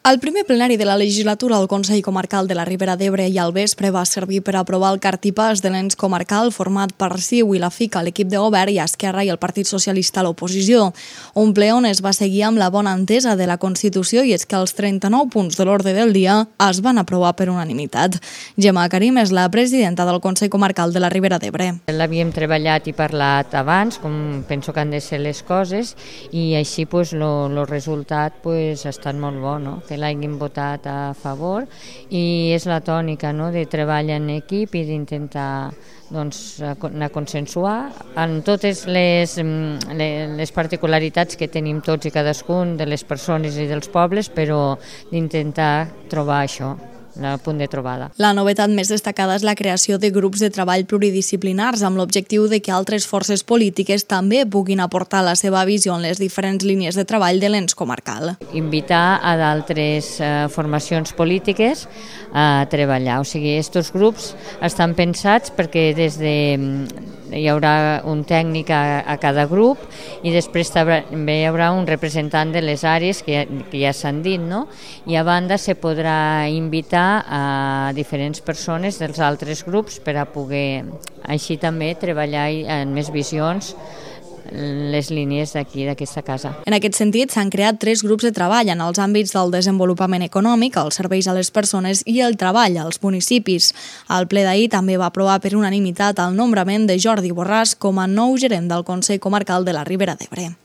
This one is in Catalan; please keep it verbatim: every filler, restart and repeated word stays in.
El primer plenari de la legislatura al Consell Comarcal de la Ribera d'Ebre i al vespre va servir per aprovar el cartipàs de l'ens comarcal format per C I U i la F I C A, l'equip de govern, i Esquerra i el Partit Socialista a l'oposició. Un ple on es va seguir amb la bona entesa de la Constitució, i és que els trenta-nou punts de l'ordre del dia es van aprovar per unanimitat. Gemma Karim és la presidenta del Consell Comarcal de la Ribera d'Ebre. L'havíem treballat i parlat abans, com penso que han de ser les coses, i així el resultat ha estat molt bo, no? Que l'hagin votat a favor, i és la tònica, no?, de treball en equip i d'intentar doncs, anar a consensuar en totes les, les particularitats que tenim tots i cadascun de les persones i dels pobles, però d'intentar trobar això, el punt de trobada. La novetat més destacada és la creació de grups de treball pluridisciplinars amb l'objectiu de que altres forces polítiques també puguin aportar la seva visió en les diferents línies de treball de l'ens comarcal. Invitar a d'altres eh, formacions polítiques a treballar. O sigui, aquests grups estan pensats perquè des de hi haurà un tècnic a, a cada grup, i després també hi haurà un representant de les àrees que ja, que ja s'han dit, no? I a banda se podrà invitar a diferents persones dels altres grups per a poder així també treballar en més visions les línies d'aquí, d'aquesta casa. En aquest sentit, s'han creat tres grups de treball en els àmbits del desenvolupament econòmic, els serveis a les persones i el treball als municipis. El ple d'ahir també va aprovar per unanimitat el nombrament de Jordi Borràs com a nou gerent del Consell Comarcal de la Ribera d'Ebre.